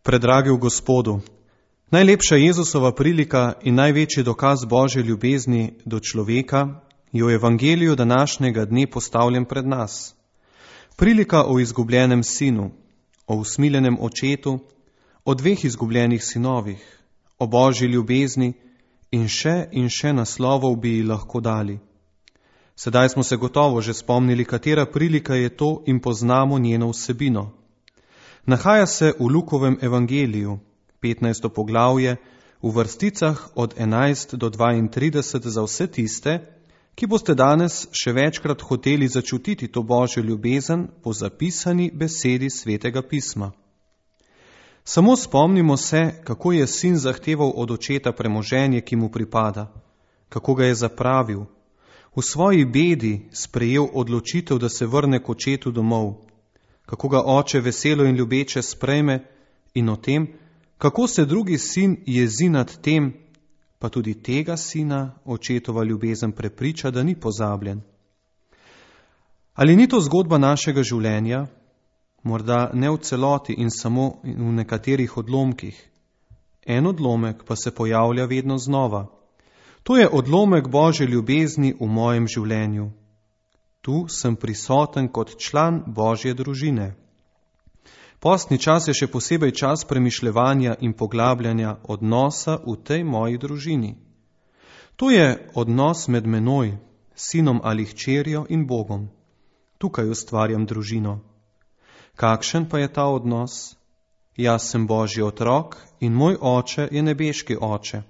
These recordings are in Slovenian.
Predragi v Gospodu, najlepša Jezusova prilika in največji dokaz Božje ljubezni do človeka je v evangeliju današnjega dne postavljen pred nas. Prilika o izgubljenem sinu, o usmiljenem očetu, o dveh izgubljenih sinovih, o Božji ljubezni in še naslovov bi ji lahko dali. Sedaj smo se gotovo že spomnili, katera prilika je to in poznamo njeno vsebino. Nahaja se v Lukovem evangeliju, 15. poglavje, v vrsticah od 11 do 32 za vse tiste, ki boste danes še večkrat hoteli začutiti to Božjo ljubezen po zapisani besedi Svetega pisma. Samo spomnimo se, kako je sin zahteval od očeta premoženje, ki mu pripada, kako ga je zapravil, v svoji bedi sprejel odločitev, da se vrne k očetu domov, kako ga oče veselo in ljubeče sprejme in o tem, kako se drugi sin jezi nad tem, pa tudi tega sina očetova ljubezen prepriča, da ni pozabljen. Ali ni to zgodba našega življenja? Morda ne v celoti in samo v nekaterih odlomkih. En odlomek pa se pojavlja vedno znova. To je odlomek Božje ljubezni v mojem življenju. Tu sem prisoten kot član Božje družine. Postni čas je še posebej čas premišljevanja in poglabljanja odnosa v tej moji družini. To je odnos med menoj, sinom ali hčerjo in Bogom. Tukaj ustvarjam družino. Kakšen pa je ta odnos? Jaz sem Božji otrok in moj oče je nebeški oče.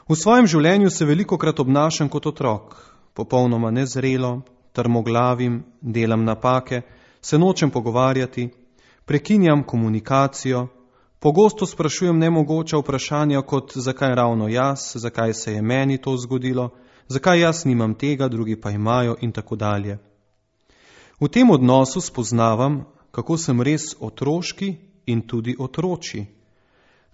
V svojem življenju se velikokrat obnašam kot otrok, popolnoma nezrelo, trmoglavim, delam napake, se nočem pogovarjati, prekinjam komunikacijo, pogosto sprašujem nemogoča vprašanja kot zakaj ravno jaz, zakaj se je meni to zgodilo, zakaj jaz nimam tega, drugi pa imajo in tako dalje. V tem odnosu spoznavam, kako sem res otroški in tudi otroči.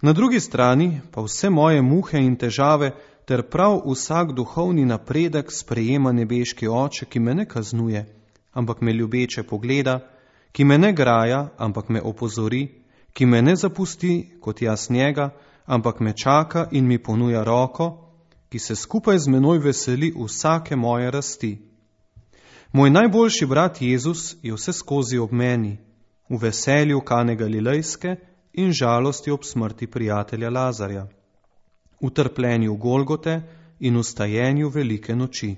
Na drugi strani pa vse moje muhe in težave ter prav vsak duhovni napredek sprejema nebeški oče, ki me ne kaznuje, ampak me ljubeče pogleda, ki me ne graja, ampak me opozori, ki me ne zapusti kot jaz njega, ampak me čaka in mi ponuja roko, ki se skupaj z menoj veseli vsake moje rasti. Moj najboljši brat Jezus je vse skozi ob meni, v veselju Kane Galilejske in žalosti ob smrti prijatelja Lazarja, v trpljenju Golgote in v stajenju velike noči.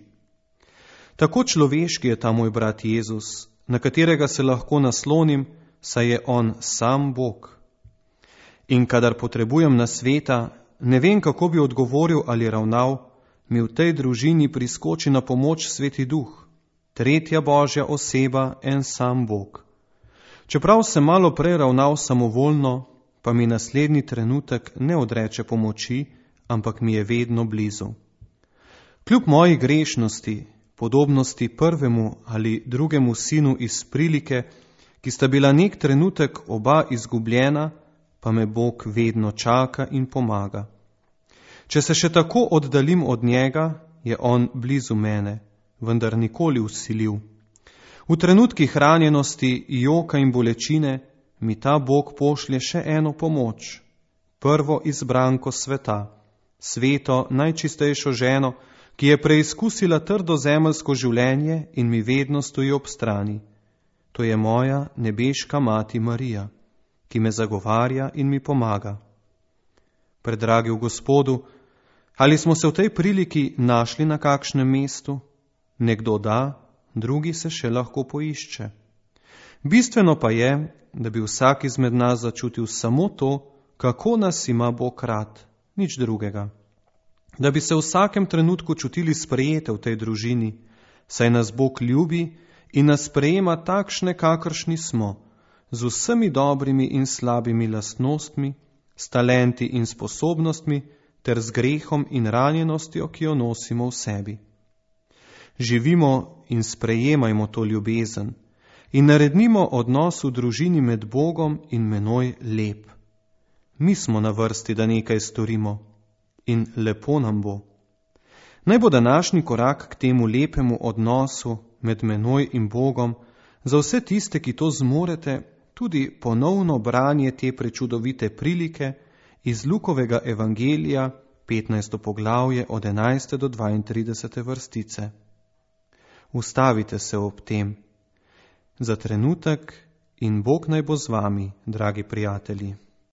Tako človeški je ta moj brat Jezus, na katerega se lahko naslonim, saj je on sam Bog. In kadar potrebujem nasveta, ne vem, kako bi odgovoril ali ravnal, mi v tej družini priskoči na pomoč Sveti Duh, tretja Božja oseba, en sam Bog. Čeprav sem malo prej ravnal samovoljno, pa mi naslednji trenutek ne odreče pomoči, ampak mi je vedno blizu. Kljub moji grešnosti, podobnosti prvemu ali drugemu sinu iz prilike, ki sta bila nek trenutek oba izgubljena, pa me Bog vedno čaka in pomaga. Če se še tako oddaljim od njega, je on blizu mene, vendar nikoli vsiljiv. V trenutkih ranjenosti, joka in bolečine mi ta Bog pošlje še eno pomoč, prvo izbranko sveta, sveto, najčistejšo ženo, ki je preizkusila trdo zemeljsko življenje in mi vedno stoji ob strani. To je moja nebeška mati Marija, ki me zagovarja in mi pomaga. Predragi v Gospodu, ali smo se v tej priliki našli na kakšnem mestu? Nekdo da, drugi se še lahko poišče. Bistveno pa je, da bi vsak izmed nas začutil samo to, kako nas ima Bog rad, nič drugega. Da bi se v vsakem trenutku čutili sprejete v tej družini, saj nas Bog ljubi in nas sprejema takšne, kakršni smo, z vsemi dobrimi in slabimi lastnostmi, s talenti in sposobnostmi, ter z grehom in ranjenostjo, ki jo nosimo v sebi. Živimo in sprejemajmo to ljubezen in naredimo odnos v družini med Bogom in menoj lep. Mi smo na vrsti, da nekaj storimo in lepo nam bo. Naj bo današnji korak k temu lepemu odnosu med menoj in Bogom za vse tiste, ki to zmorete, tudi ponovno branje te prečudovite prilike iz Lukovega evangelija, 15. poglavje od 11. do 32. vrstice. Ustavite se ob tem za trenutek in Bog naj bo z vami, dragi prijatelji.